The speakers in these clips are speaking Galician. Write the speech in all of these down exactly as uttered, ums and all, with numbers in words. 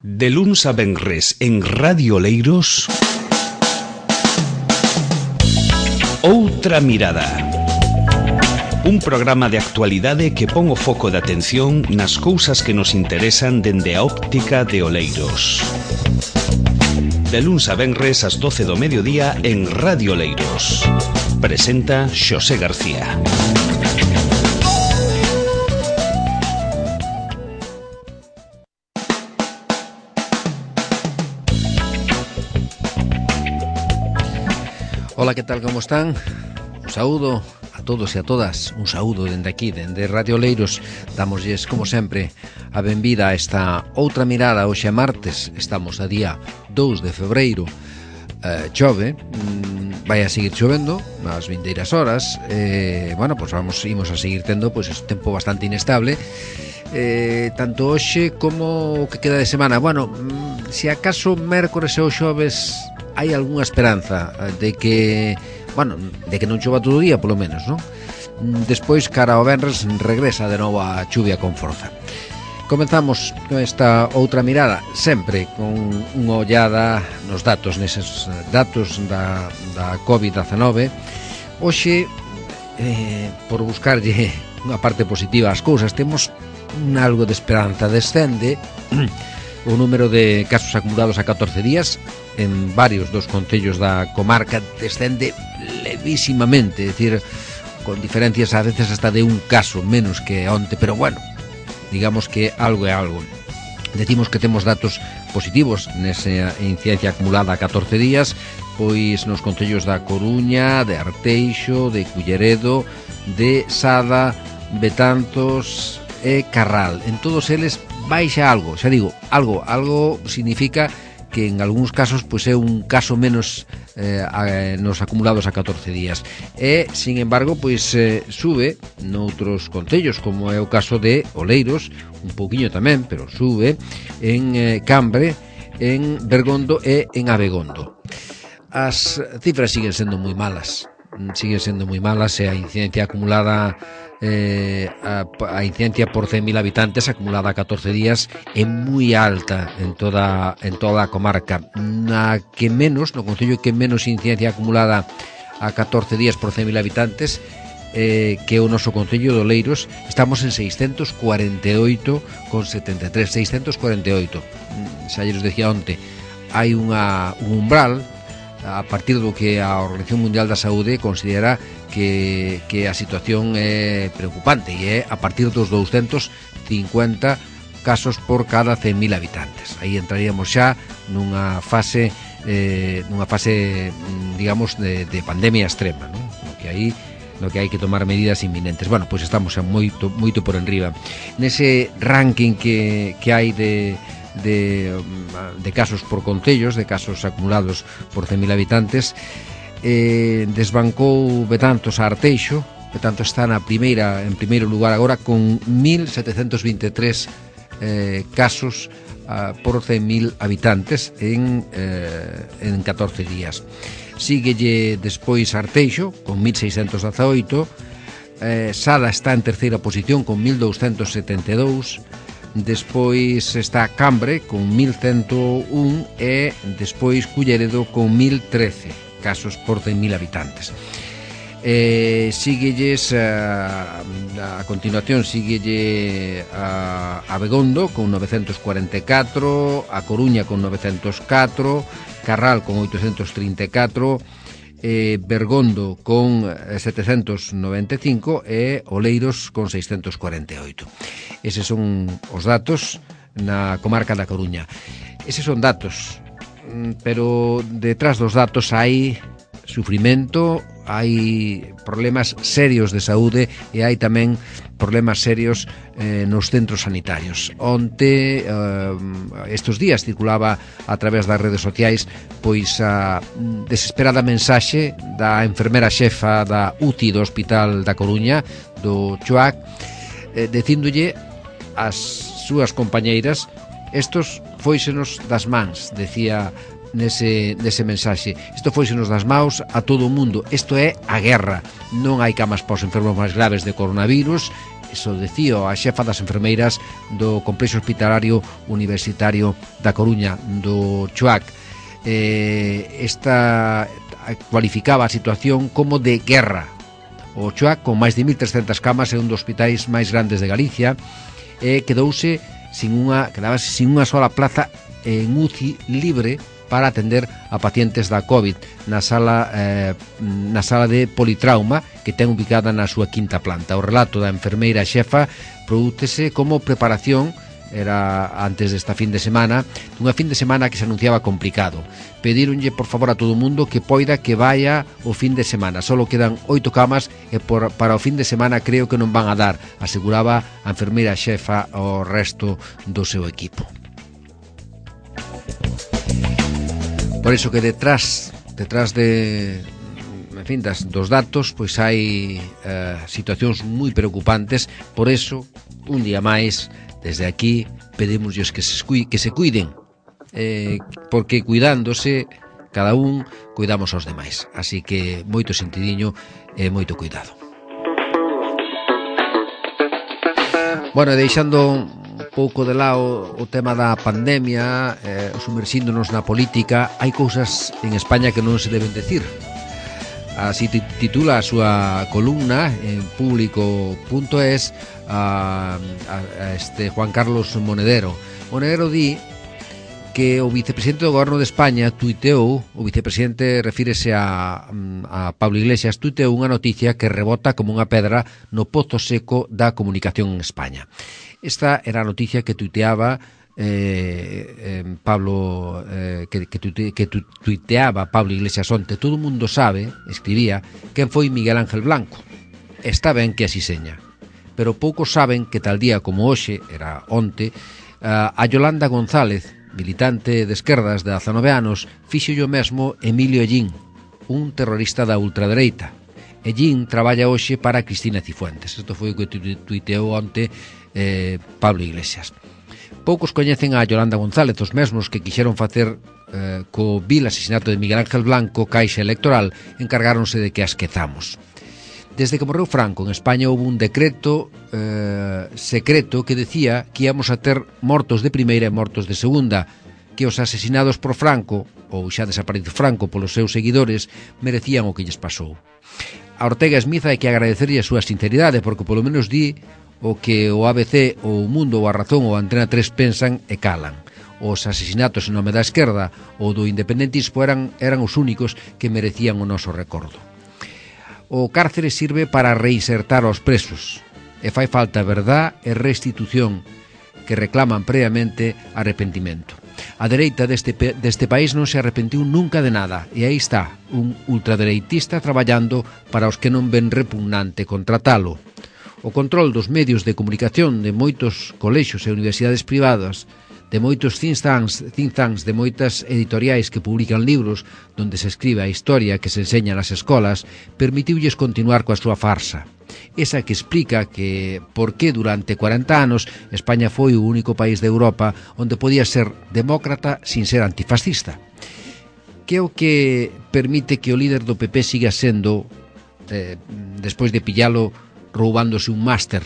De luns a venres en Radio Oleiros, Outra Mirada. Un programa de actualidade que pon o foco de atención nas cousas que nos interesan dende a óptica de Oleiros. De luns a venres ás doce do mediodía en Radio Oleiros. Presenta Xosé García. Ola, que tal, como están? Un saúdo a todos e a todas. Un saúdo dende aquí, dende Radio Oleiros. Damosles, como sempre, a benvida a esta Outra Mirada. Hoxe é martes, estamos a día dous de febreiro. eh, Chove, mm, vai a seguir chovendo nas vindeiras horas. eh, Bueno, pois pues vamos, imos a seguir tendo pois pues, tempo bastante inestable, eh, tanto hoxe como o que queda de semana. Bueno, mm, se acaso mércores e o xoves hai algunha esperanza de que, bueno, de que non chova todo o día, polo menos, non? Despois, cara ao venres, regresa de novo a chuvia con forza. Comenzamos esta Outra Mirada, sempre con unha ollada nos datos, neses datos da, da covid dezenove. Hoxe, eh, por buscarlle unha parte positiva ás cousas, temos un algo de esperanza. Descende o número de casos acumulados a catorce días en varios dos concellos da comarca, descende levísimamente, é dicir, con diferencias a veces hasta de un caso menos que onte, pero bueno, digamos que algo é algo. Decimos que temos datos positivos nesa incidencia acumulada a catorce días, pois nos concellos da Coruña, de Arteixo, de Culleredo, de Sada, Betanzos e Carral. En todos eles baixa algo, xa digo, algo, algo significa que en algúns casos pois é un caso menos eh, a, nos acumulados a catorce días. E, sin embargo, pois eh, sube noutros concellos, como é o caso de Oleiros, un pouquiño tamén, pero sube en eh, Cambre, en Bergondo e en Abegondo. As cifras siguen sendo moi malas, siguen sendo moi malas, e a incidencia acumulada Eh, a, a incidencia por cen mil habitantes acumulada a catorce días é moi alta en toda en toda a comarca. Na que menos, no concello que menos incidencia acumulada a catorce días por cen mil habitantes, eh, que é o noso concello de Oleiros, estamos en seiscentos cuarenta e oito con setenta e tres, seiscentos cuarenta e oito. Xa lles decía onte, hai unha, un umbral a partir do que a Organización Mundial da Saúde considera que, que a situación é preocupante, e é a partir dos douscentos cincuenta casos por cada cen mil habitantes. Aí entraríamos xa nunha fase eh, nunha fase, digamos, de, de pandemia extrema, non? No que aí no que hai que tomar medidas inminentes. Bueno, pois estamos xa moito, moito por enriba. Nese ranking que, que hai de De, de casos por concellos, de casos acumulados por cen mil habitantes, eh, desbancou Betanzos a Arteixo. Betanzos está na primeira, en primeiro lugar agora, con mil setecentos vinte e tres eh, casos uh, por cen mil habitantes en, eh, en catorce días. Síguelle despois Arteixo con mil seiscentos dezaoito, eh, Sada está en terceira posición con mil douscentos setenta e dous. Despois está Cambre con mil ciento un e despois Culleredo con mil trece casos por cen mil habitantes. Eh, síguelles a, a continuación síguelle a, a Abegondo con novecentos cuarenta e catro, a Coruña con novecentos catro, Carral con oitocentos trinta e catro, eh, Bergondo con setecentos noventa e cinco e Oleiros con seiscentos cuarenta e oito. Eses son os datos na comarca da Coruña. Eses son datos, pero detrás dos datos hai sufrimento, hai problemas serios de saúde e hai tamén problemas serios eh, nos centros sanitarios. Onte, eh, estes días, circulaba a través das redes sociais pois a desesperada mensaxe da enfermera xefa da U C I do Hospital da Coruña, do Chuac, eh, dicíndolle ás súas compañeiras: estos fóisenos das mans, decía nese, nese mensaxe, isto fóisenos das maus a todo o mundo, isto é a guerra, non hai camas para os enfermos máis graves de coronavirus, iso decía a xefa das enfermeiras do Complexo Hospitalario Universitario da Coruña, do CHUAC. Eh, esta cualificaba a situación como de guerra. O CHUAC, con máis de mil trescentas camas, é un dos hospitais máis grandes de Galicia, e quedouse sin unha, quedábase sin unha sola plaza en U C I libre para atender a pacientes da COVID na sala eh, na sala de politrauma que ten ubicada na súa quinta planta. O relato da enfermeira xefa prodúcese como preparación, era antes desta fin de semana, dunha fin de semana que se anunciaba complicado. Pedíronlle por favor a todo o mundo que poida que vaya o fin de semana. Solo quedan oito camas e por, para o fin de semana creo que non van a dar, aseguraba a enfermeira xefa ao resto do seu equipo. Por iso que detrás detrás de en fin, das, dos datos, pois hai eh, situacións moi preocupantes. Por iso, un día máis, desde aquí pedimosles que se, que se cuiden, eh, porque cuidándose cada un, cuidamos aos demais. Así que moito sentidiño e moito cuidado. Bueno, deixando un pouco de lado o tema da pandemia, eh, sumerxíndonos na política, hai cousas en España que non se deben decir. Así titula a súa columna en público punto es a, a, a este Juan Carlos Monedero. Monedero di que o vicepresidente do Goberno de España tuiteou, o vicepresidente refírese a, a Pablo Iglesias, tuiteou unha noticia que rebota como unha pedra no pozo seco da comunicación en España. Esta era a noticia que tuiteaba eh, eh, Pablo eh, que, que, tuite, que tuiteaba Pablo Iglesias onte. Todo o mundo sabe, escribía, quen foi Miguel Ángel Blanco. Está ben que así seña, pero poucos saben que tal día como hoxe, era onte, a Yolanda González, militante de esquerdas de dezanove anos, fixo o mesmo Emilio Ellín, un terrorista da ultradereita. Ellín traballa hoxe para Cristina Cifuentes. Isto foi o que tuiteou onte eh, Pablo Iglesias. Poucos coñecen a Yolanda González, os mesmos que quixeron facer eh, co vil asesinato de Miguel Ángel Blanco caixa electoral, encargáronse de que a esquezamos. Desde que morreu Franco en España houve un decreto eh, secreto que decía que íamos a ter mortos de primeira e mortos de segunda, que os asesinados por Franco, ou xa desaparecido Franco polos seus seguidores, merecían o que lles pasou. A Ortega Smith hai que agradecerlle a súa sinceridade, porque polo menos di o que o A B C, ou o Mundo, ou a Razón, ou a Antena tres pensan e calan. Os asesinatos en nome da esquerda ou do independentismo eran, eran os únicos que merecían o noso recordo. O cárcere sirve para reinsertar aos presos, e fai falta verdad e restitución, que reclaman previamente arrepentimento. A dereita deste, deste país non se arrepentiu nunca de nada, e aí está, un ultradereitista traballando para os que non ven repugnante contratalo. O control dos medios de comunicación de moitos colexios e universidades privadas, de moitos think tanks, think tanks, de moitas editoriais que publican libros donde se escribe a historia que se enseña nas escolas, permitiulles continuar coa súa farsa. Esa que explica que por que durante cuarenta anos España foi o único país de Europa onde podía ser demócrata sin ser antifascista. Que é o que permite que o líder do P P siga sendo, eh, despois de pillalo roubándose un máster,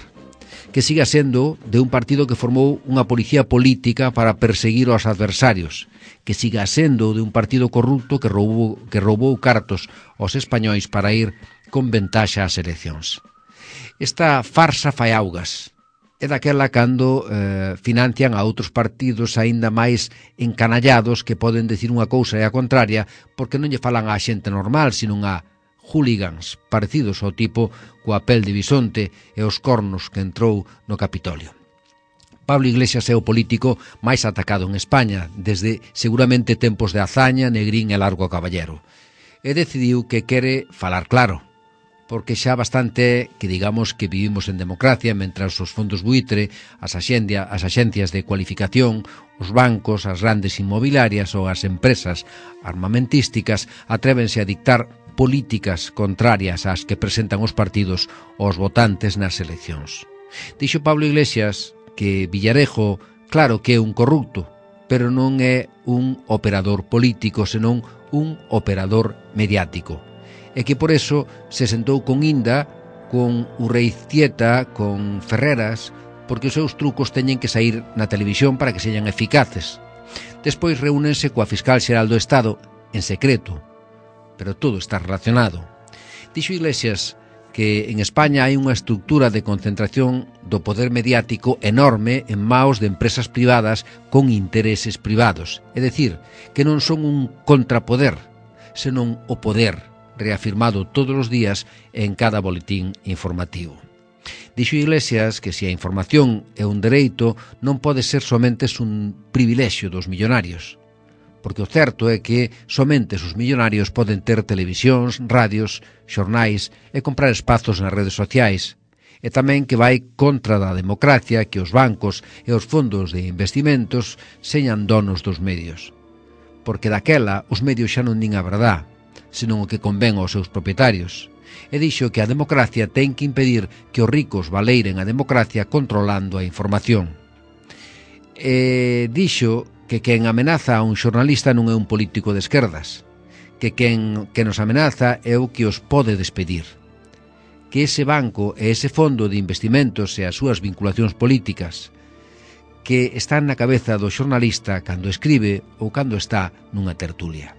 que siga sendo de un partido que formou unha policía política para perseguir aos adversarios, que siga sendo de un partido corrupto que roubou, que roubou cartos aos españois para ir con ventaxa ás eleccións. Esta farsa fai augas. É daquela cando eh, financian a outros partidos aínda máis encanallados que poden decir unha cousa e a contraria porque non lle falan á xente normal, sino a hooligans parecidos ao tipo coa pel de bisonte e os cornos que entrou no Capitolio. Pablo Iglesias é o político máis atacado en España desde seguramente tempos de Azaña, Negrín e Largo Caballero. E decidiu que quere falar claro, porque xa bastante que digamos que vivimos en democracia mentras os fondos buitre, as, axendia, as axencias de cualificación, os bancos, as grandes inmobiliarias ou as empresas armamentísticas atrévense a dictar políticas contrarias ás que presentan os partidos aos votantes nas eleccións. Dixo Pablo Iglesias que Villarejo, claro que é un corrupto, pero non é un operador político, senón un operador mediático. E que por eso se sentou con Inda con Urreiztieta, con Ferreras, porque os seus trucos teñen que sair na televisión para que señan eficaces. Despois reúnense coa Fiscal Xeral do Estado en secreto, pero todo está relacionado. Dixo Iglesias que en España hai unha estructura de concentración do poder mediático enorme en maos de empresas privadas con intereses privados. É dicir, que non son un contrapoder, senón o poder, reafirmado todos os días en cada boletín informativo. Dixo Iglesias que se a información é un dereito non pode ser somente un privilexio dos millonarios, porque o certo é que somente os millonarios poden ter televisións, radios, xornais e comprar espazos nas redes sociais, e tamén que vai contra da democracia que os bancos e os fondos de investimentos señan donos dos medios, porque daquela os medios xa non din a verdad, senón o que convén aos seus propietarios, e dixo que a democracia ten que impedir que os ricos valeiren a democracia controlando a información. E dixo que quen amenaza a un xornalista non é un político de esquerdas, que quen que nos amenaza é o que os pode despedir, que ese banco e ese fondo de investimentos e as súas vinculacións políticas que están na cabeza do xornalista cando escribe ou cando está nunha tertulia.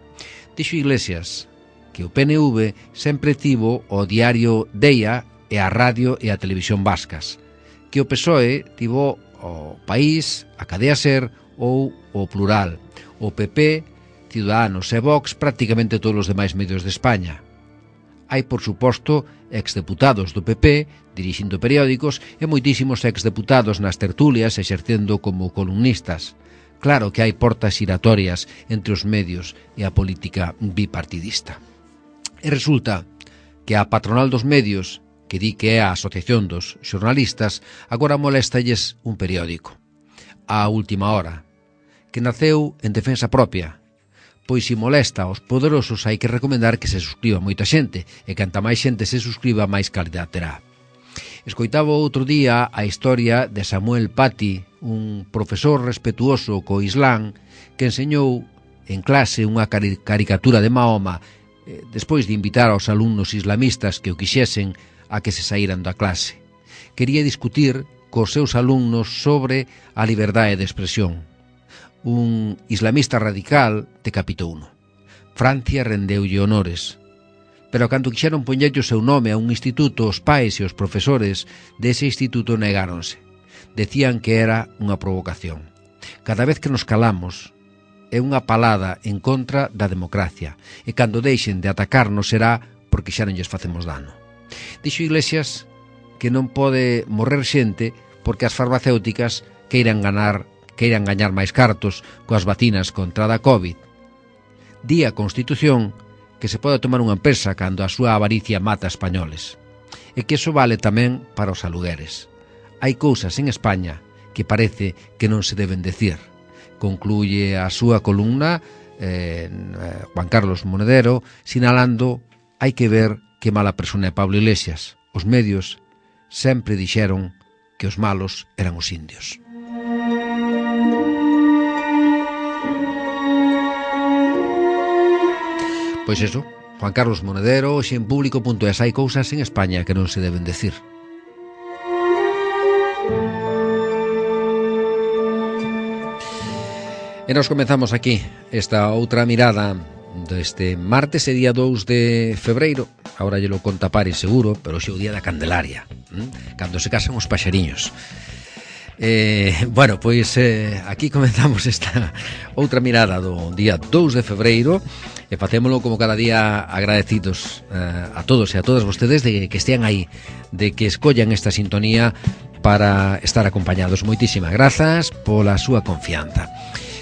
Dixo Iglesias que o P N V sempre tivo o diario Deia e a radio e a televisión vascas, que o P S O E tivo o País, a Cadea Ser ou o Plural, o P P, Ciudadanos e Vox, prácticamente todos os demais medios de España. Hai, por suposto, exdeputados do P P dirixindo periódicos e moitísimos exdeputados nas tertulias exercendo como columnistas. Claro que hai portas giratorias entre os medios e a política bipartidista. E resulta que a patronal dos medios, que di que é a Asociación dos Xornalistas, agora moléstalles un periódico, A Última Hora, que naceu en defensa propia, pois se molesta aos poderosos hai que recomendar que se suscriba moita xente, e canta máis xente se suscriba máis calidad terá. Escoitaba outro día a historia de Samuel Paty, un profesor respetuoso co Islán, que enseñou en clase unha caricatura de Mahoma eh, despois de invitar aos alumnos islamistas que o quixesen a que se saíran da clase. Quería discutir cos seus alumnos sobre a liberdade de expresión. Un islamista radical decapitouno. Francia rendeulle honores. Pero cando quixeron poñerlle o seu nome a un instituto, os pais e os profesores dese instituto negáronse. Decían que era unha provocación. Cada vez que nos calamos é unha palada en contra da democracia, e cando deixen de atacarnos será porque xa non lles facemos dano. Dixo Iglesias que non pode morrer xente porque as farmacéuticas queiran ganar, queiran gañar máis cartos coas vacinas contra a COVID. Di a Constitución que se pode tomar unha empresa cando a súa avaricia mata españoles, e que iso vale tamén para os alugueres. Hai cousas en España que parece que non se deben decir. Concluye a súa columna eh, Juan Carlos Monedero sinalando hai que ver que mala persona é Pablo Iglesias. Os medios sempre dixeron que os malos eran os indios. Pois eso, Juan Carlos Monedero, hoxe en público punto es, hai cousas en España que non se deben decir. E nos comenzamos aquí esta outra mirada deste martes e día dous de febreiro. Agora lle lo conta Paris seguro, pero xe o día da Candelaria, ¿m? Cando se casan os paxariños. Eh, bueno, pois eh, aquí comenzamos esta outra mirada do día dous de febreiro e facémolo como cada día agradecidos eh, a todos e a todas vostedes de que estean aí, de que escollan esta sintonía para estar acompañados. Moitísimas grazas pola súa confianza.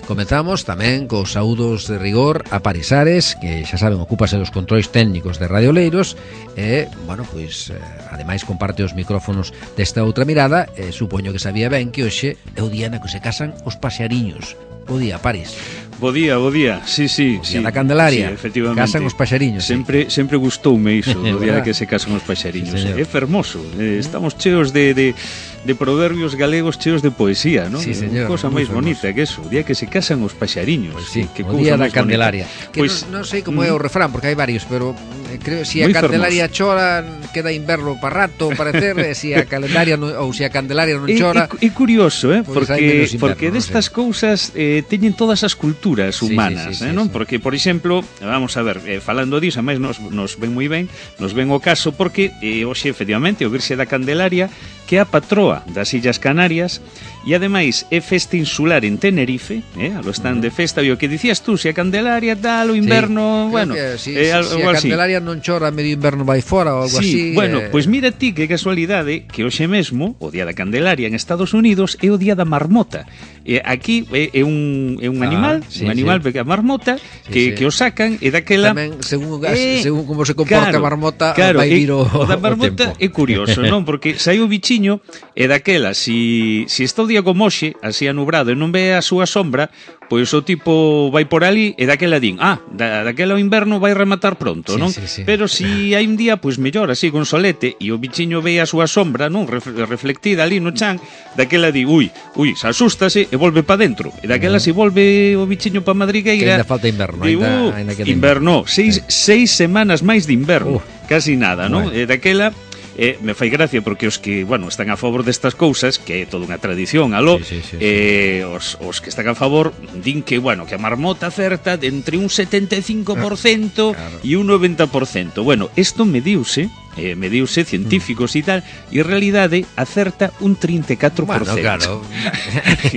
Comezamos tamén cos saúdos de rigor a Paris Ares, que xa saben, ocúpase dos controis técnicos de Radio Oleiros e, bueno, pois, eh, ademais comparte os micrófonos desta outra mirada e supoño que sabía ben que hoxe é o día na que se casan os paxariños. Bo día, Paris. Bo día, bo día, sí, sí, o sí. Da Candelaria, sí, efectivamente. Casan os paxariños. Sempre, sí. sempre gustoume iso, o día que se casan os paxariños. Sí, é fermoso, eh, estamos cheos de, de, de proverbios galegos, cheos de poesía, non? Sí, señor. Cosa máis bonita que eso, o día que se casan os paxariños. Pues sí, que o día da Candelaria. Que pues, non, non sei como é o refrán, porque hai varios, pero creo, si a Candelaria chora queda inverno para rato, parecer, e si a Candelaria non, ou si a Candelaria non chora. É curioso, eh, pues porque inverno, porque destas no sé. cousas eh, teñen todas as culturas humanas, sí, sí, sí, eh, non? Sí. Porque, por exemplo, vamos a ver, eh, falando disso, máis nos, nos ven moi ben, nos ven o caso porque eh, hoxe, efectivamente, o Virxe da Candelaria, que é a patroa das Illas Canarias, e ademais é festa insular en Tenerife, eh, a lo están uh -huh. de festa, e o que dicías tú, se a Candelaria tal, o inverno, sí, bueno, que, si, eh, si, si a Candelaria así. Non chora, medio inverno vai fora ou algo sí, así. Bueno, eh... pois pues mira ti que casualidade que hoxe mesmo, o Día da Candelaria en Estados Unidos é o Día da Marmota. Eh, aquí é, é un é un ah, animal, sí, un animal sí. a marmota sí, que sí. que o sacan e daquela tamén según eh, según como se comporta claro, a marmota, claro, vai vir o, o da marmota o tempo. É curioso, non? Porque sai o bichiño e daquela si si está o día como hoxe, así anubrado e non ve a súa sombra, pois o tipo vai por ali e daquela din, ah, da, daquela o inverno vai rematar pronto, sí, non? Sí, sí. Pero si hai un día, pois mellor, así con solete, e o bichiño ve a súa sombra, non? Reflectida ali no chan, daquela di, ui, ui, se asústase e volve pa dentro. E daquela uh -huh. se volve o bichiño pa madrigueira. Que ainda falta inverno. Di, uh, ainda, ainda inverno, seis, sí. seis semanas máis de inverno. Uh, casi nada, non? Bueno. E daquela... Eh, me fai gracia porque os que, bueno, están a favor destas cousas, que é toda unha tradición, aló, sí, sí, sí, eh, sí. Os, os que están a favor din que, bueno, que a marmota acerta de entre un setenta e cinco por cento claro. e un noventa por cento. Bueno, isto mediuse, eh, mediuse científicos e mm. tal, e en realidade acerta un trinta e catro por cento. Bueno, claro.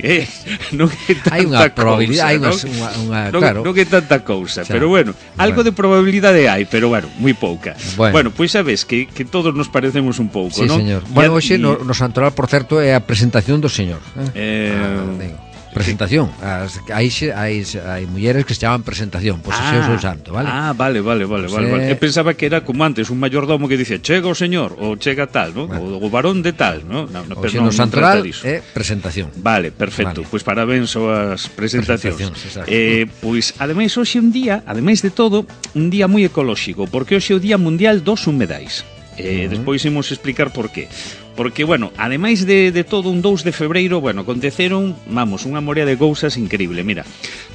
eh, non é tanta hai unha probabilidade, hai non? unha, unha, non, claro. Non é tanta cousa, xa. Pero bueno, algo bueno. de probabilidade hai, pero bueno, moi pouca. Bueno, bueno pois sabes que, que todos nos parecemos un pouco, sí, non? Señor. Bueno, hoxe no, no Santoral, por certo, é a presentación do señor. Eh, eh ah, digo. Presentación. As, hai, hai, hai mulleres que se chaman presentación, pois pues, ah, o seu santo, vale? Ah, vale, vale, vale, pues vale, vale. Eu pensaba que era como antes un mayordomo que dice chega o señor, ou chega tal, ¿no? Bueno. O, o varón de tal, ¿no? No, no, pero no, no Santoral é presentación. Vale, perfecto. Vale. Pois pues parabéns aos presentacións. Eh, pois pues, ademais hoxe un día, ademais de todo, un día moi ecolóxico, porque hoxe é o Día Mundial dos Humedais. Eh, uh -huh. Despois imos explicar por qué. Porque, bueno, ademais de, de todo un dous de febreiro, bueno, aconteceron, vamos, unha morea de cousas increíble. Mira,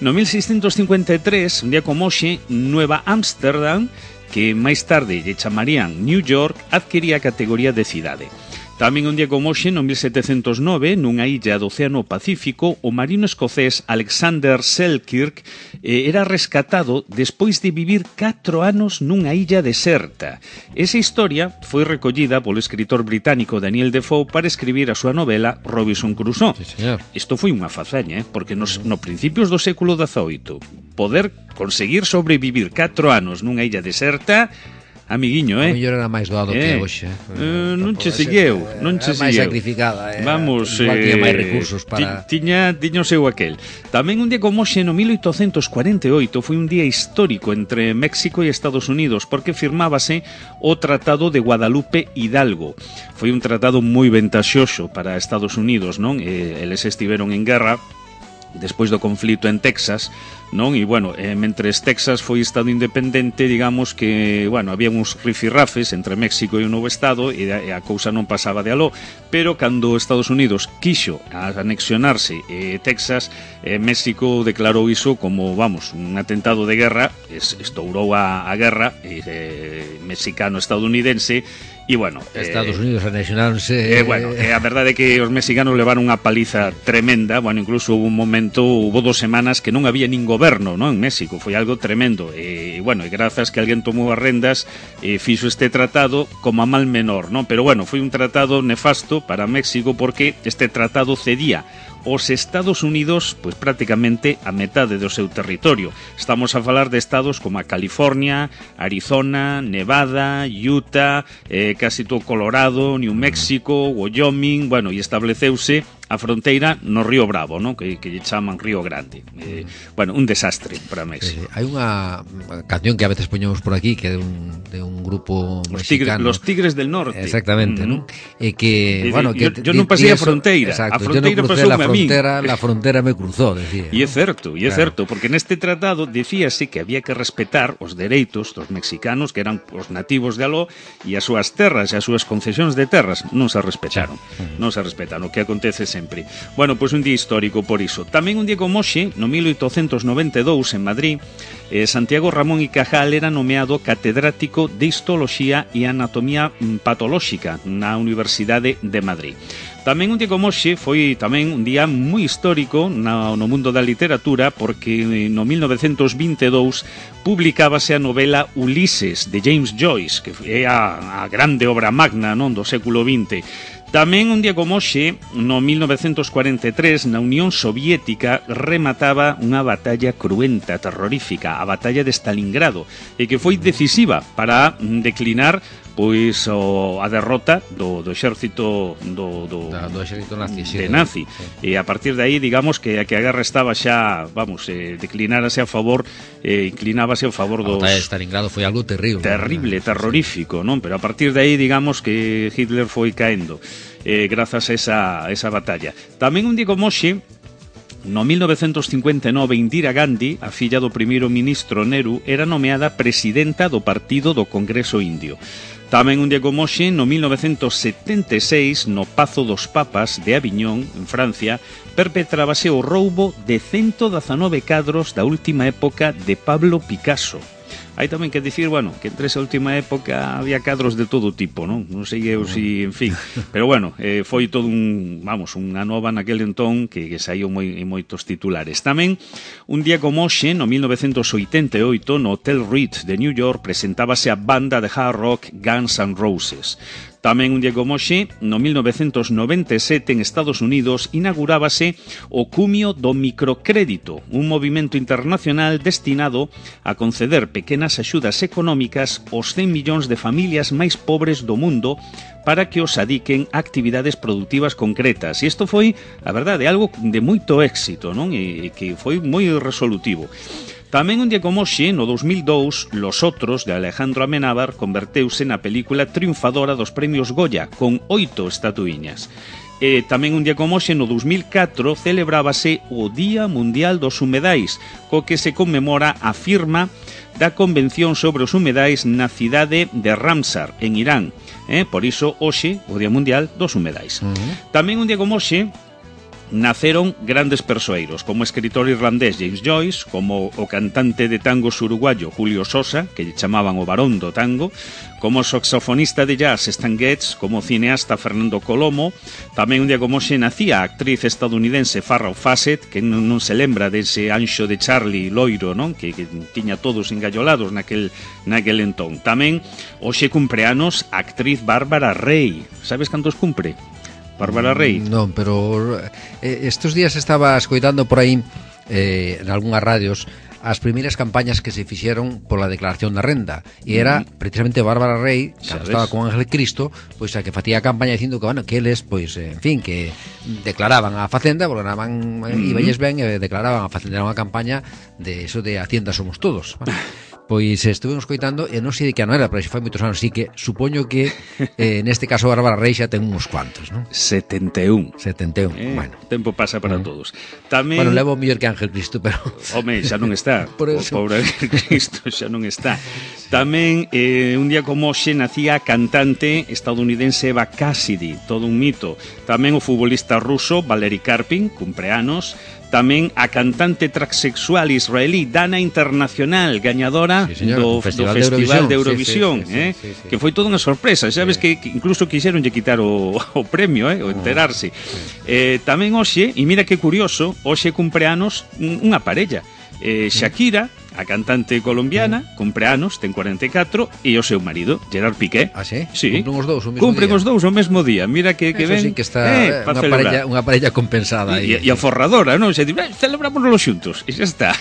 no mil seiscentos cincuenta e tres, un día como hoxe, Nueva Ámsterdam, que máis tarde lle chamarían New York, adquiría a categoría de cidade. Tamén un día como hoxe, no mil setecentos nove, nunha illa do Océano Pacífico, o marino escocés Alexander Selkirk eh, era rescatado despois de vivir catro anos nunha illa deserta. Esa historia foi recollida polo escritor británico Daniel Defoe para escribir a súa novela Robinson Crusoe. Sí, señor. Isto foi unha fazaña, eh, porque nos, no principios do século dezaoito poder conseguir sobrevivir catro anos nunha illa deserta, amiguiño, eh? A mellor era máis doado eh, que hoxe. Eh, non che segueu, non che segueu. Máis sacrificada, eh? Vamos, igual eh, tiña máis recursos para... Tiña, tiña o seu aquel. Tamén un día como hoxe, no mil oitocentos cuarenta e oito, foi un día histórico entre México e Estados Unidos, porque firmábase o Tratado de Guadalupe Hidalgo. Foi un tratado moi ventaxoso para Estados Unidos, non? Eh, eles estiveron en guerra despois do conflito en Texas, non? E, bueno, eh, mentres Texas foi estado independente, digamos que, bueno, había uns rifirrafes entre México e o novo estado e a, e a cousa non pasaba de aló, pero cando Estados Unidos quixo anexionarse eh, Texas, eh, México declarou iso como, vamos, un atentado de guerra, es, estourou a, a guerra eh, mexicano-estadounidense. E, bueno, Estados eh, Unidos anexionáronse. Eh, bueno, eh, a verdade é que os mexicanos levaron unha paliza tremenda. Bueno, incluso hubo un momento, hubo dos semanas que non había nin goberno, non, en México. Foi algo tremendo. E, bueno, e grazas que alguén tomou as rendas e eh, fixo este tratado como a mal menor, non? Pero, bueno, foi un tratado nefasto para México porque este tratado cedía os Estados Unidos, pois prácticamente a metade do seu territorio. Estamos a falar de estados como a California, Arizona, Nevada, Utah, eh, casi todo Colorado, New Mexico, Wyoming, bueno, e estableceuse a fronteira no Río Bravo, ¿no? que, que lle chaman Río Grande. Eh, bueno, un desastre para México. Sí, hai unha canción que a veces poñemos por aquí, que é de un, de un grupo los mexicano. Tigres, los Tigres del Norte. Exactamente, mm. ¿no? E que, y, bueno, que... Yo, yo non pasei a fronteira. Exacto, a fronteira yo non crucé la frontera, la frontera me cruzó, decía. E é certo, e é claro. certo, porque neste tratado dicíase que había que respetar os dereitos dos mexicanos, que eran os nativos de aló, e as súas terras e as súas concesións de terras non se respetaron. Sí. Mm. Non se respetaron. O que acontece sempre. Bueno, pois un día histórico por iso. Tamén un día como hoxe, no mil oitocentos noventa e dous, en Madrid, eh, Santiago Ramón y Cajal era nomeado catedrático de Histoloxía e Anatomía Patolóxica na Universidade de Madrid. Tamén un día como hoxe foi tamén un día moi histórico no, no mundo da literatura, porque no mil novecentos vinte e dous publicábase a novela Ulises de James Joyce, que é a, a grande obra magna, non, do século vinte. Tamén un día como hoxe, no mil novecentos cuarenta e tres, na Unión Soviética remataba unha batalla cruenta, terrorífica, a batalla de Stalingrado, e que foi decisiva para declinar pois o, a derrota do, do exército do, do, da, do exército nazi, sí, de nazi. Sí. E a partir de aí, digamos que a que a guerra estaba xa, vamos, eh, declinárase a favor, eh, inclinábase a favor dos... A batalla de Stalingrado foi algo terrible. Terrible, ¿no? Terrorífico, non? Pero a partir de aí, digamos que Hitler foi caendo eh, grazas a esa, a esa batalla. Tamén un día como hoxe, no mil novecentos cincuenta e nove, Indira Gandhi, a filla do primeiro ministro Nehru, era nomeada presidenta do Partido do Congreso Indio. Tamén un día como hoxe, no mil novecentos setenta e seis, no Pazo dos Papas de Aviñón, en Francia, perpetrábase o roubo de ciento dezanove cadros da última época de Pablo Picasso. Hai tamén que dicir, bueno, que entre esa última época había cadros de todo tipo, non? Non sei eu si, en fin, pero bueno, eh, foi todo un, vamos, unha nova naquele entón que, que saiu moi, en moitos titulares. Tamén, un día como hoxe, no mil novecentos oitenta e oito, no Hotel Ritz de New York, presentábase a banda de hard rock Guns N' Roses. Tamén un día como hoxe, no mil novecentos noventa e sete, en Estados Unidos, inaugurábase o cumio do microcrédito, un movimento internacional destinado a conceder pequenas axudas económicas aos cen millóns de familias máis pobres do mundo para que os adiquen a actividades productivas concretas. E isto foi, a verdade, algo de moito éxito, non? E que foi moi resolutivo. Tamén un día como hoxe, no dos mil dous, Los Otros, de Alejandro Amenábar, converteuse na película triunfadora dos premios Goya, con oito estatuiñas. E tamén un día como hoxe, no dos mil catro, celebrábase o Día Mundial dos Humedais, co que se conmemora a firma da Convención sobre os Humedais na cidade de Ramsar, en Irán. Eh? Por iso, hoxe, o Día Mundial dos Humedais. Uh-huh. Tamén un día como hoxe, naceron grandes persoeiros, como o escritor irlandés James Joyce, como o cantante de tangos uruguayo Julio Sosa, que lle chamaban o varón do tango, como o saxofonista de jazz Stan Getz, como o cineasta Fernando Colomo. Tamén un día como hoxe nacía a actriz estadounidense Farrah Fawcett, que non, non se lembra dese anxo de Charlie loiro, non? Que, que tiña todos engallolados naquel, naquel entón. Tamén hoxe cumpleanos a actriz Bárbara Rey. Sabes cantos cumpre? Bárbara Rey. Non, pero eh, estes días estaba escoitando por aí eh, en algunhas radios as primeiras campañas que se fixeron pola declaración da renda, e era mm. precisamente Bárbara Rey, cando estaba con Ángel Cristo, pois a que facía a campaña dicindo que, bueno, que eles, pois, en fin, que declaraban a Facenda, porque naban, mm. iballes ben, e declaraban a Facenda, era unha campaña de eso de Hacienda somos todos. Bueno, pois estuvemos coitando, e non sei de que ano era, pero xa foi moitos anos, así que supoño que eh, neste caso Bárbara Rey xa ten uns cuantos, non? setenta e un. setenta e un, eh, bueno. O tempo pasa para eh. todos. Tamén... Bueno, levo mellor que Ángel Cristo, pero... Home, xa non está. Por eso. O pobre Ángel Cristo xa non está. Tamén, eh, un día como hoxe, nacía a cantante estadounidense Eva Cassidy, todo un mito. Tamén o futbolista ruso Valery Karpin, cumpleanos. Tamén a cantante transexual israelí Dana Internacional, gañadora sí, señor, do, Festival, do Festival de Eurovisión, sí, sí, eh? sí, sí, sí. Que foi toda unha sorpresa. Sabes sí. que, que incluso quixeronlle quitar o, o premio, eh? o enterarse. Oh, sí. eh, tamén hoxe, e mira que curioso, hoxe cumpleanos unha parella. Eh, Shakira, a cantante colombiana, cumpleanos, ten cuarenta e catro, e o seu marido, Gerard Piqué. Ah, sí? Sí. Cumplen os dous o mesmo Cumplen día. os dous o mesmo día. Mira que, que Eso ven. sí que está eh, unha parella, unha parella compensada aí. E, e a forradora, non? Se di, eh, celebrámonos xuntos. E xa está.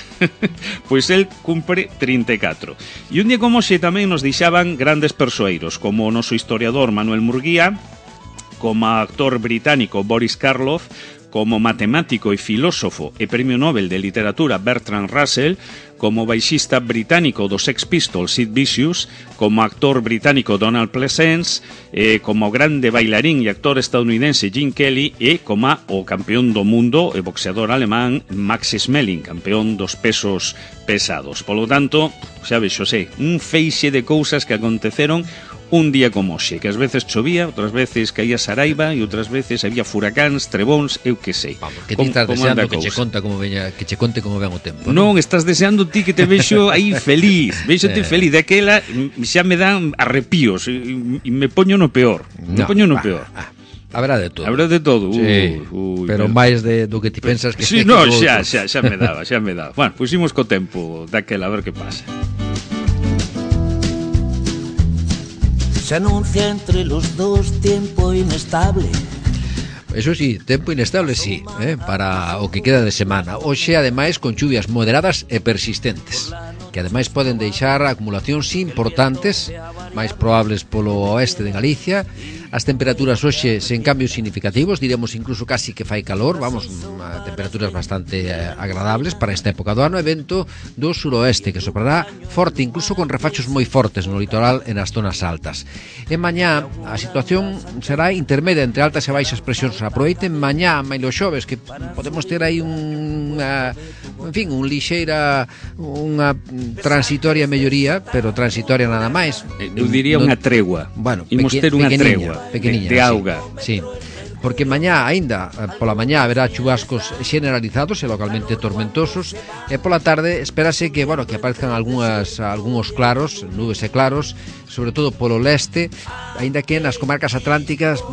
Pois el cumpre trinta e catro. E un día como xe tamén nos deixaban grandes persoeiros, como o noso historiador Manuel Murguía, como actor británico Boris Karloff, como matemático e filósofo e premio Nobel de Literatura Bertrand Russell, como baixista británico dos Sex Pistols Sid Vicious, como actor británico Donald Pleasence, eh, como grande bailarín e actor estadounidense Gene Kelly, e como o campeón do mundo e boxeador alemán Max Schmeling, campeón dos pesos pesados. Polo tanto, xa vexo, sei, un feixe de cousas que aconteceron un día como hoxe, que ás veces chovía, outras veces caía saraiva e outras veces había furacáns, trebóns, eu que sei. Vamos, que ti estás deseando que che conta como veña, que che conte como ven o tempo. Non, non, estás deseando ti que te vexo aí feliz, vexo ti feliz, daquela xa me dan arrepíos e, e me poño no peor, me no, poño no ah, peor. Ah. Habrá de todo. Habrá de todo. Sí, ui, ui, pero máis de do que ti pensas que sí, no, xa, xa, xa me daba, xa me daba. Bueno, puximos co tempo daquela a ver que pasa. Se anuncia entre los dos tiempo inestable. Eso sí, tempo inestable sí, eh, para o que queda de semana. Hoxe, ademais, con chuvias moderadas e persistentes, que ademais poden deixar acumulacións importantes, máis probables polo oeste de Galicia. As temperaturas hoxe sen cambios significativos, diremos incluso casi que fai calor, vamos, a temperaturas bastante eh, agradables para esta época do ano, e vento do suroeste que soprará forte, incluso con refachos moi fortes no litoral e nas zonas altas. E mañá a situación será intermedia entre altas e baixas presións. Aproveiten mañá, mailo xoves, que podemos ter aí unha, en fin, un lixeira, unha transitoria melloría, pero transitoria nada máis. Eu diría non, unha tregua. Bueno, imos ter unha tregua. Pequeniña, de, de auga. Sí, sí. Porque mañá, aínda, pola mañá haberá chubascos generalizados e localmente tormentosos, e pola tarde espérase que, bueno, que aparezcan algunhas algúns claros, nubes e claros, sobre todo polo leste, aínda que nas comarcas atlánticas,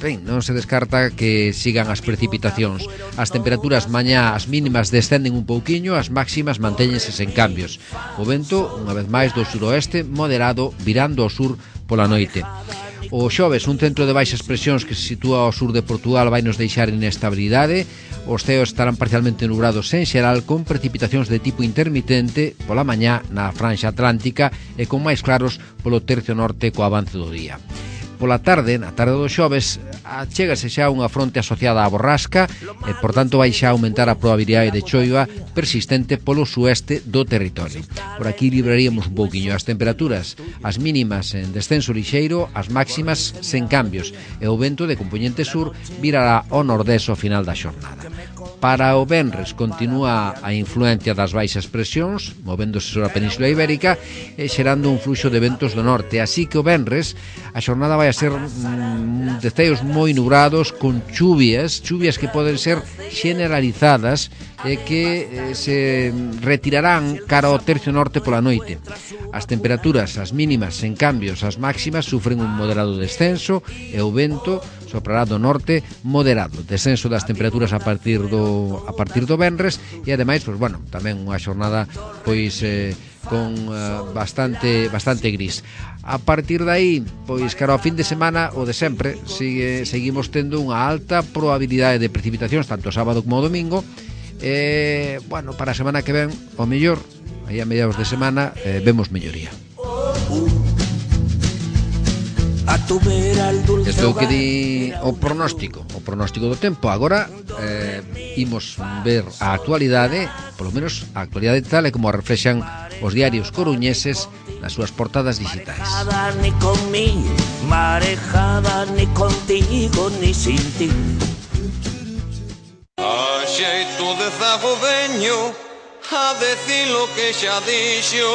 ben, non se descarta que sigan as precipitacións. As temperaturas mañá, as mínimas descenden un pouquiño, as máximas mantéñense sen cambios. O vento, unha vez máis, do suroeste moderado, virando ao sur pola noite. O xoves, un centro de baixas presións que se sitúa ao sur de Portugal vai nos deixar inestabilidade. Os ceos estarán parcialmente nubrados en xeral, con precipitacións de tipo intermitente pola mañá na franxa atlántica e con máis claros polo tercio norte co avance do día. Pola tarde, na tarde do xoves, achégase xa unha fronte asociada á borrasca e, por tanto, vai xa aumentar a probabilidade de choiva persistente polo sueste do territorio. Por aquí libraríamos un pouquiño as temperaturas, as mínimas en descenso lixeiro, as máximas sen cambios, e o vento de compoñente sur virará ao nordés ao final da xornada. Para o venres continúa a influencia das baixas presións, movéndose sobre a Península Ibérica e xerando un fluxo de ventos do norte, así que o venres a xornada vai a ser mm, de ceos moi nubrados, con chuvias, chuvias que poden ser generalizadas e que eh, se retirarán cara ao tercio norte pola noite. As temperaturas, as mínimas en cambios, as máximas sufren un moderado descenso e o vento soprará do norte moderado. Descenso das temperaturas a partir do a partir do venres e ademais, pois bueno, tamén unha xornada pois eh, con uh, bastante bastante gris. A partir de aí, pois cara ao fin de semana o de sempre, sigue seguimos tendo unha alta probabilidade de precipitacións tanto sábado como domingo. E, bueno, para a semana que ven, o mellor, aí a mediados de semana, eh, vemos melloría. Isto é o que di o pronóstico, o pronóstico do tempo. Agora, eh, imos ver a actualidade, polo menos a actualidade tal e como a reflexan os diarios coruñeses nas súas portadas digitais. Ni con mí, marejada, ni contigo, ni sin ti. A xeito de zago veño a decir lo que xa dixo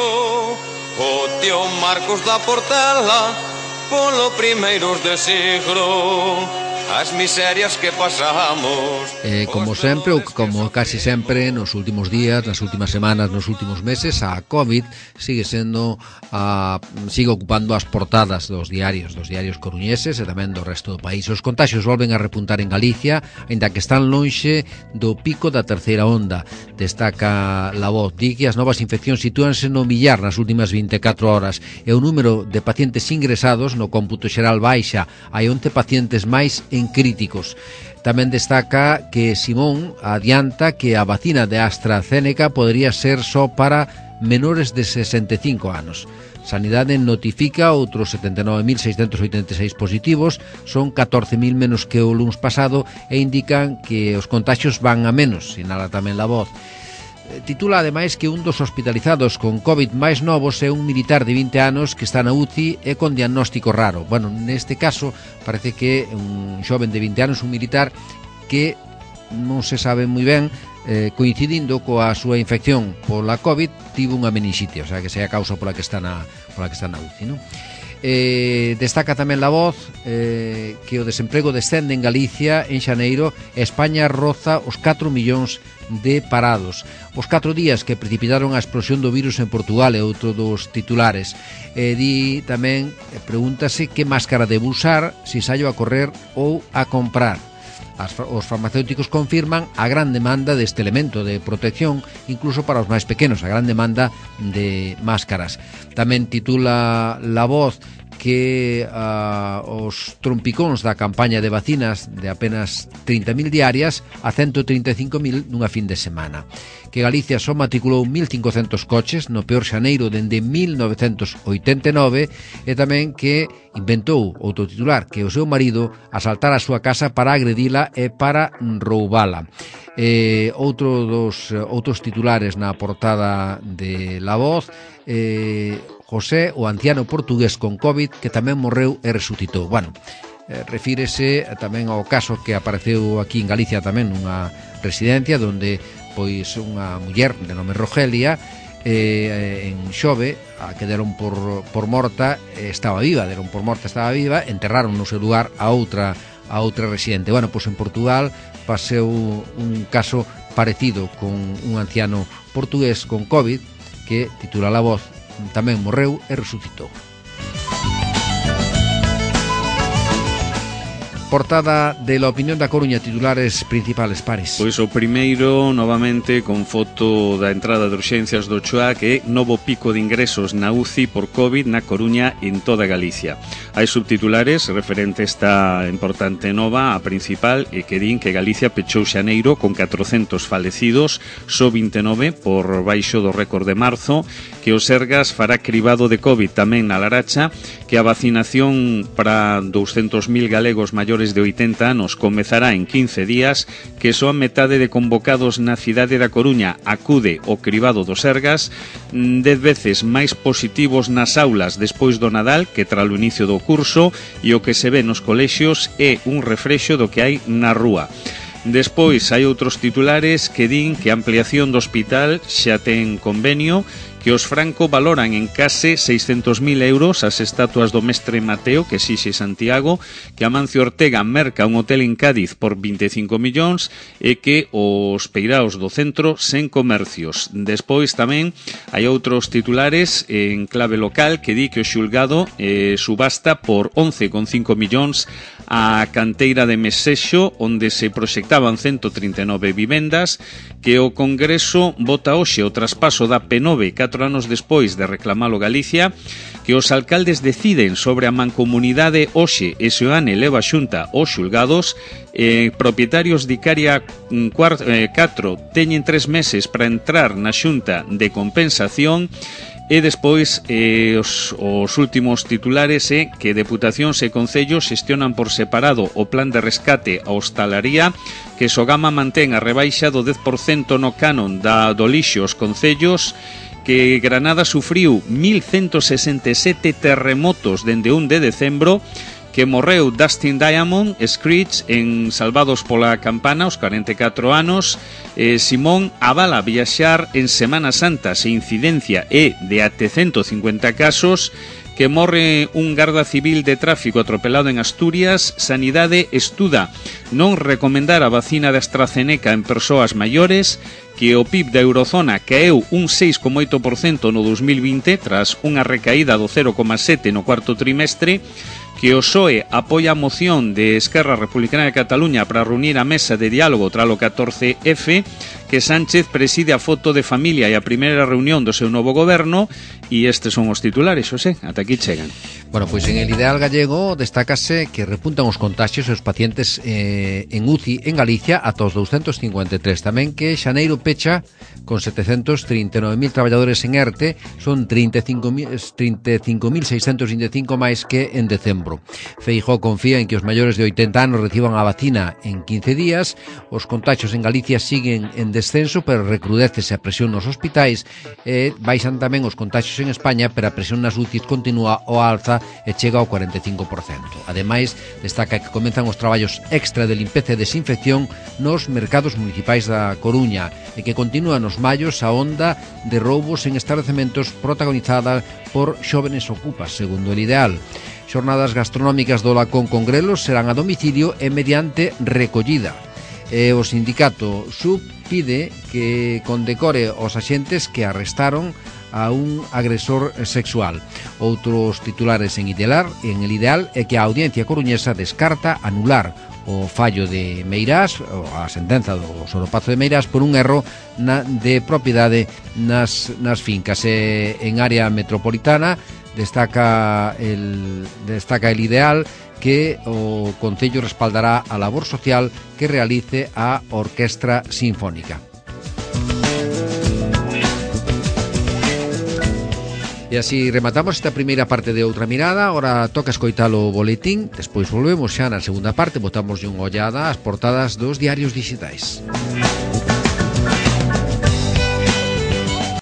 o tío Marcos da Portela polo primeiros de siglo. As miserias que pasamos. Eh, como sempre, ou como casi sempre nos últimos días, nas últimas semanas, nos últimos meses, a COVID sigue sendo a, sigue ocupando as portadas dos diarios, dos diarios coruñeses e tamén do resto do país. Os contaxios volven a repuntar en Galicia, aínda que están lonxe do pico da terceira onda. Destaca La Voz, di que as novas infeccións sitúanse no millar nas últimas vinte e catro horas e o número de pacientes ingresados no cómputo xeral baixa. Hai once pacientes máis en críticos. Tamén destaca que Simón adianta que a vacina de AstraZeneca podría ser só para menores de sesenta e cinco anos. Sanidade notifica outros setenta e nove mil seiscentos oitenta e seis positivos, son catorce mil menos que o luns pasado e indican que os contaxios van a menos, sinala tamén La Voz. Titula ademais que un dos hospitalizados con COVID máis novos é un militar de vinte anos que está na U C I e con diagnóstico raro. Bueno, neste caso parece que un xoven de vinte anos, un militar que non se sabe moi ben, eh, coincidindo coa súa infección pola COVID, tivo unha meningite, o sea que sei a causa pola que está na pola que está na U C I, non? Eh, destaca tamén La Voz eh, que o desemprego descende en Galicia en xaneiro e España roza os catro millóns de parados. Os catro días que precipitaron a explosión do virus en Portugal é outro dos titulares. Eh, di tamén, pregúntase que máscara debe usar se saio a correr ou a comprar. As, os farmacéuticos confirman a gran demanda deste elemento de protección, incluso para os máis pequenos, a gran demanda de máscaras. Tamén titula La Voz que uh, os trompicóns da campaña de vacinas de apenas trinta mil diarias a ciento trinta e cinco mil nunha fin de semana. Que Galicia só matriculou mil cincocentos coches no peor xaneiro dende mil novecentos oitenta e nove, e tamén que inventou outro titular, que o seu marido asaltara a súa casa para agredila e para roubala. Eh, outro dos outros titulares na portada de La Voz, eh, José, o anciano portugués con COVID que tamén morreu e resucitou. Bueno, eh, refírese tamén ao caso que apareceu aquí en Galicia tamén nunha residencia onde pois unha muller de nome Rogelia eh, en Xove a que deron por, por morta eh, estaba viva, deron por morta estaba viva, enterraron no seu lugar a outra a outra residente. Bueno, pois en Portugal paseu un caso parecido con un anciano portugués con COVID que, titula La Voz, tamén morreu e resucitou. Portada de La Opinión da Coruña, titulares principales, Paris. Pois o primeiro, novamente, con foto da entrada de urxencias do Choa, que é novo pico de ingresos na U C I por COVID na Coruña en toda Galicia. Hai subtitulares referente a esta importante nova, a principal, e que din que Galicia pechou xaneiro con catrocentos falecidos, só vinte e nove por baixo do récord de marzo, que o Sergas fará cribado de COVID tamén na Laracha, que a vacinación para douscentos mil galegos maiores de oitenta anos comezará en quince días, que só a metade de convocados na cidade da Coruña acude ao cribado do Sergas, dez veces máis positivos nas aulas despois do Nadal que tras o inicio do curso, e o que se ve nos colexios é un refrexo do que hai na rúa. Despois hai outros titulares que din que a ampliación do hospital xa ten convenio, que os Franco valoran en case seiscentos mil euros as estatuas do mestre Mateo que exixe Santiago, que Amancio Ortega merca un hotel en Cádiz por vinte e cinco millóns e que os peiraos do centro sen comercios. Despois tamén hai outros titulares en clave local que di que o xulgado eh, subasta por once coma cinco millóns a canteira de Mesexo, onde se proxectaban ciento trinta e nove vivendas, que o Congreso vota hoxe o traspaso da P nove catro anos despois de reclamalo Galicia, que os alcaldes deciden sobre a mancomunidade hoxe e Seoane leva a xunta aos xulgados, eh, propietarios de Icaria catro teñen tres meses para entrar na xunta de compensación. E despois eh, os, os últimos titulares é que deputacións e concellos xestionan por separado o plan de rescate a hostalaría, que Sogama mantén a rebaixa do dez por cento no canon da do lixo aos concellos, que Granada sufriu mil ciento sesenta e sete terremotos dende un de decembro, que morreu Dustin Diamond, Screech, en Salvados pola Campana, aos cuarenta e catro anos. eh, Simón avala viaxar en Semana Santa se incidencia é de até ciento cincuenta casos, que morre un garda civil de tráfico atropelado en Asturias. Sanidade estuda non recomendar a vacina de AstraZeneca en persoas maiores, que o P I B da Eurozona caeu un seis coma oito por cento no dos mil vinte tras unha recaída do cero coma sete por cento no cuarto trimestre, que o P S O E apoia a moción de Esquerra Republicana de Cataluña para reunir a mesa de diálogo tras o catorce efe, que Sánchez preside a foto de familia e a primeira reunión do seu novo goberno. E estes son os titulares, Xosé, ata aquí chegan. Bueno, pois en el Ideal Gallego destácase que repuntan os contagios e os pacientes eh, en U C I en Galicia ata os douscentos cincuenta e tres. Tamén que xaneiro pecha con setecentos trinta e nove mil traballadores en ERTE, son trinta e cinco mil seiscentos vinte e cinco máis que en decembro. Feijóo confía en que os maiores de oitenta anos reciban a vacina en quince días. Os contagios en Galicia siguen en descenso descenso, pero recrudécese a presión nos hospitais e baixan tamén os contaxios en España, pero a presión nas U C Is continúa ao alza e chega ao cuarenta e cinco por cento. Ademais, destaca que comenzan os traballos extra de limpeza e desinfección nos mercados municipais da Coruña e que continúa nos mallos a onda de roubos en establecementos protagonizada por xóvenes ocupas, segundo el ideal. Xornadas gastronómicas do Lacón con grelos serán a domicilio e mediante recollida. E o sindicato S U B pide que condecore os axentes que arrestaron a un agresor sexual. Outros titulares en Ideal, en el Ideal é que a Audiencia Coruñesa descarta anular o fallo de Meirás, a sentenza do Soropazo de Meirás, por un erro na, de propiedade nas, nas fincas. E en área metropolitana destaca el, destaca el Ideal que o Concello respaldará a labor social que realice a Orquestra Sinfónica. E así rematamos esta primeira parte de Outra Mirada. Ahora toca escoitar o boletín. Despois volvemos xa na segunda parte. Botamos unha ollada ás portadas dos diarios digitais.